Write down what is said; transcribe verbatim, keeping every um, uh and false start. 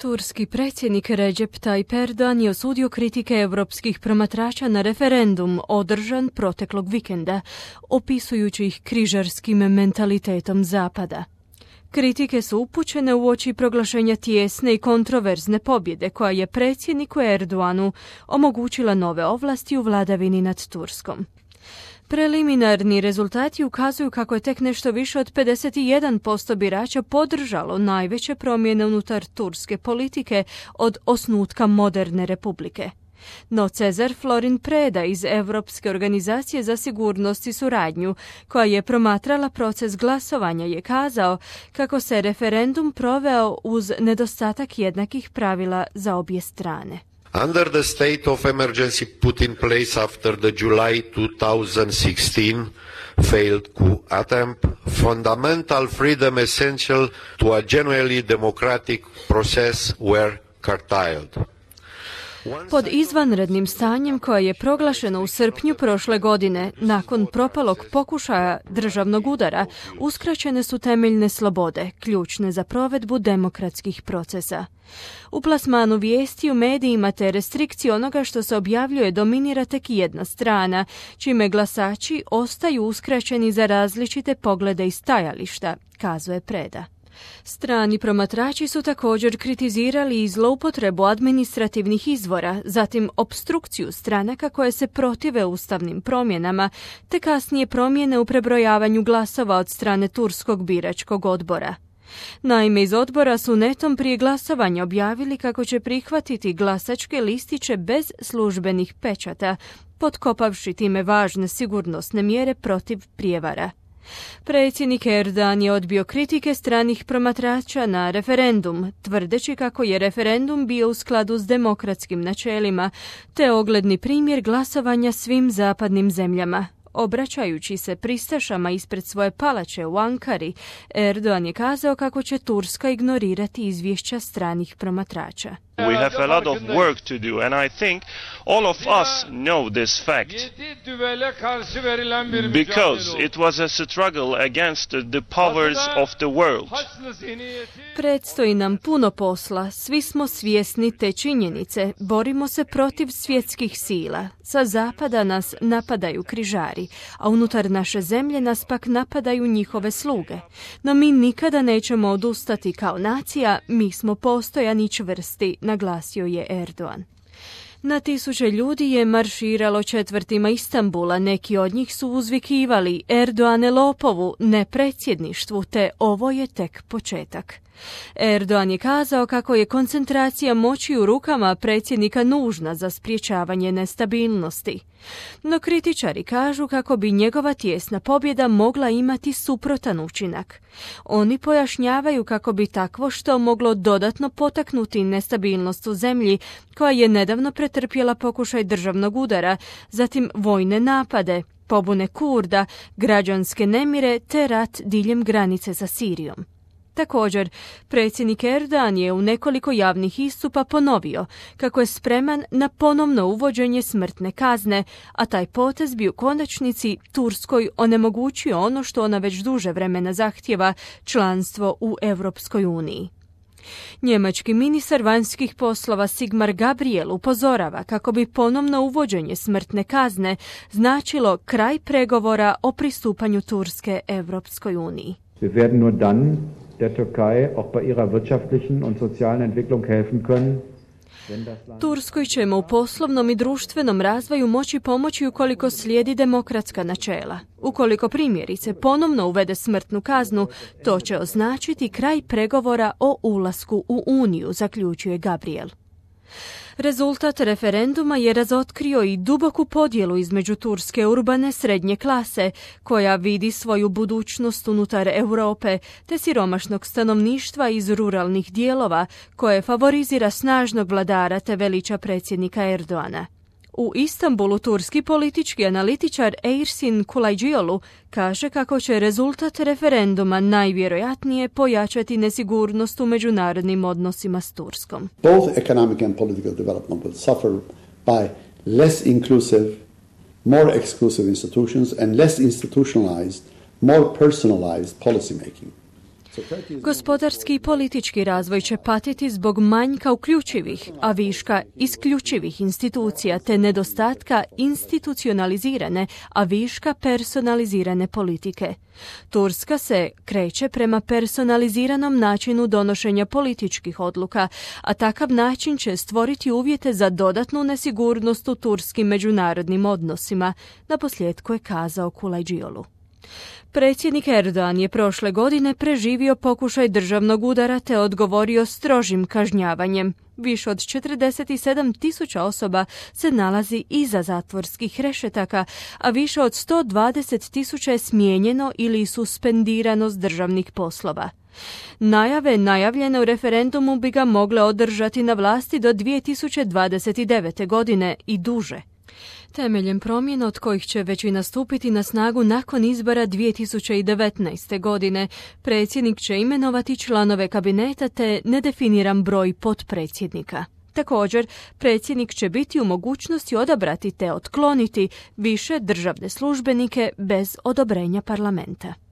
Turski predsjednik Recep Tayyip Erdogan je osudio kritike europskih promatrača na referendum održan proteklog vikenda, opisujući ih križarskim mentalitetom Zapada. Kritike su upućene uoči proglašenja tijesne i kontroverzne pobjede koja je predsjedniku Erdoganu omogućila nove ovlasti u vladavini nad Turskom. Preliminarni rezultati ukazuju kako je tek nešto više od pedeset jedan posto birača podržalo najveće promjene unutar turske politike od osnutka moderne republike. No Cezar Florin Preda iz Europske organizacije za sigurnost i suradnju, koja je promatrala proces glasovanja, je kazao kako se referendum proveo uz nedostatak jednakih pravila za obje strane. Under the state of emergency put in place after the July two thousand sixteen failed coup attempt, fundamental freedom essential to a genuinely democratic process were curtailed. Pod izvanrednim stanjem koje je proglašeno u srpnju prošle godine, nakon propalog pokušaja državnog udara, uskraćene su temeljne slobode, ključne za provedbu demokratskih procesa. U plasmanu vijesti u medijima te restrikcije onoga što se objavljuje dominira tek jedna strana, čime glasači ostaju uskraćeni za različite poglede i stajališta, kazuje Preda. Strani promatrači su također kritizirali i zloupotrebu administrativnih izvora, zatim opstrukciju stranaka koje se protive ustavnim promjenama, te kasnije promjene u prebrojavanju glasova od strane Turskog biračkog odbora. Naime, iz odbora su netom prije glasovanja objavili kako će prihvatiti glasačke listiće bez službenih pečata, potkopavši time važne sigurnosne mjere protiv prijevara. Predsjednik Erdogan je odbio kritike stranih promatrača na referendum, tvrdeći kako je referendum bio u skladu s demokratskim načelima, te ogledni primjer glasovanja svim zapadnim zemljama. Obraćajući se pristašama ispred svoje palače u Ankari, Erdogan je kazao kako će Turska ignorirati izvješća stranih promatrača. We have a lot of work to do, and I think all of us know this fact because it was a struggle against the powers of the world. Predstoji nam puno posla, svi smo svjesni te činjenice, borimo se protiv svjetskih sila. Sa zapada nas napadaju križari, a unutar naše zemlje nas pak napadaju njihove sluge. No mi nikada nećemo odustati kao nacija, mi smo postojani i čvrsti, naglasio je Erdogan. Na tisuće ljudi je marširalo četvrtima Istanbula, neki od njih su uzvikivali Erdoğane lopovu, ne predsjedništvu, te ovo je tek početak. Erdogan je kazao kako je koncentracija moći u rukama predsjednika nužna za sprječavanje nestabilnosti. No kritičari kažu kako bi njegova tijesna pobjeda mogla imati suprotan učinak. Oni pojašnjavaju kako bi takvo što moglo dodatno potaknuti nestabilnost u zemlji koja je nedavno pretrpjela pokušaj državnog udara, zatim vojne napade, pobune Kurda, građanske nemire te rat diljem granice sa Sirijom. Također, predsjednik Erdogan je u nekoliko javnih istupa ponovio kako je spreman na ponovno uvođenje smrtne kazne, a taj potez bi u konačnici Turskoj onemogućio ono što ona već duže vremena zahtijeva, članstvo u Europskoj uniji. Njemački ministar vanjskih poslova Sigmar Gabriel upozorava kako bi ponovno uvođenje smrtne kazne značilo kraj pregovora o pristupanju Turske Europskoj uniji. Wir werden nur dann der Türkei auch bei ihrer wirtschaftlichen und sozialen Entwicklung helfen können. Turskoj ćemo u poslovnom i društvenom razvoju moći pomoći ukoliko slijedi demokratska načela. Ukoliko primjerice ponovno uvede smrtnu kaznu, to će označiti kraj pregovora o ulasku u Uniju, zaključuje Gabriel. Rezultat referenduma je razotkrio i duboku podjelu između turske urbane srednje klase, koja vidi svoju budućnost unutar Europe, te siromašnog stanovništva iz ruralnih dijelova, koje favorizira snažnog vladara te veliča predsjednika Erdoğana. U Istanbulu turski politički analitičar Ersin Kulajđiolu kaže kako će rezultat referenduma najvjerojatnije pojačati nesigurnost u međunarodnim odnosima s Turskom. Both economic and political development will suffer by less inclusive, more exclusive institutions and less institutionalized, more personalized policy making. Gospodarski i politički razvoj će patiti zbog manjka uključivih, a viška isključivih institucija te nedostatka institucionalizirane, a viška personalizirane politike. Turska se kreće prema personaliziranom načinu donošenja političkih odluka, a takav način će stvoriti uvjete za dodatnu nesigurnost u turskim međunarodnim odnosima, naposljetku je kazao Kulajđiolu. Predsjednik Erdogan je prošle godine preživio pokušaj državnog udara te odgovorio strožim kažnjavanjem. Više od četrdeset sedam tisuća osoba se nalazi iza zatvorskih rešetaka, a više od sto dvadeset tisuća je smijenjeno ili suspendirano s državnih poslova. Najave najavljene u referendumu bi ga mogle održati na vlasti do dvije tisuće dvadeset devete. godine i duže. Temeljem promjena od kojih će većina stupiti na snagu nakon izbora dvije tisuće devetnaeste. godine, predsjednik će imenovati članove kabineta te nedefiniran broj potpredsjednika. Također, predsjednik će biti u mogućnosti odabrati te otkloniti više državne službenike bez odobrenja parlamenta.